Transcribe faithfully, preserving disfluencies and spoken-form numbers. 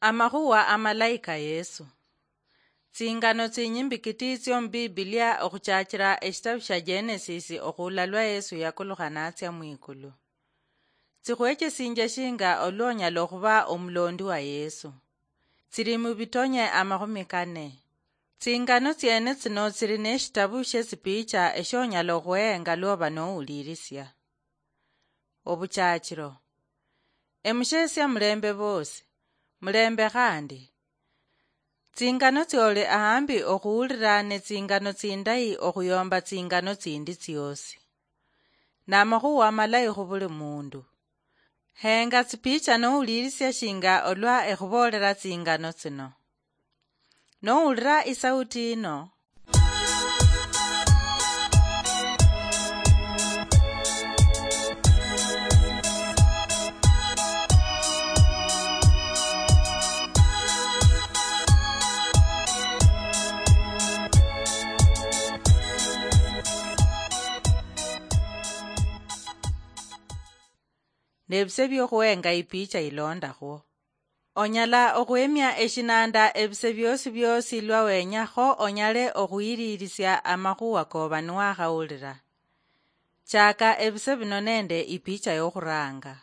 Amakhuwa amalayi ka Yesu. Tsingano tsinyimbi kiti tsio mu Bibilia, okhuchachira eshitabu shia Genesis okhula lwa Yesu yakulukha natsia mwikulu, tsikhwechesinjia shinga olwa onyala okhuba omulondi wa Yesu. Tsili mu bitonye amakhumi kane. Tsingano tsiene tsino tsili neshitabu shie tsipicha eshionyala okhwehenga lwoba nowulirisia. Obuchachiro. Emushesia mulembe bosi, mulembe khandi. Tsingano tsioli ahambi okhuulira ne tsingano tsindayi okhuyomba tsingano tsindi tsiosi. Namakhuwa amalayi khubuli mundu. Henga tsipicha nowulirisia shinga olwa ekhuboolera tsingano tsino. Nowulira isauti yino, nebise biokhwenga ipicha ilondakhwo. Onyala okhwemia eshinanda ebise biosi biosi lwa wenya kho onyale okhuyililisia amakhuwa koba niwakhawulira. Chaka ebise bino nende ipicha yokhuranga.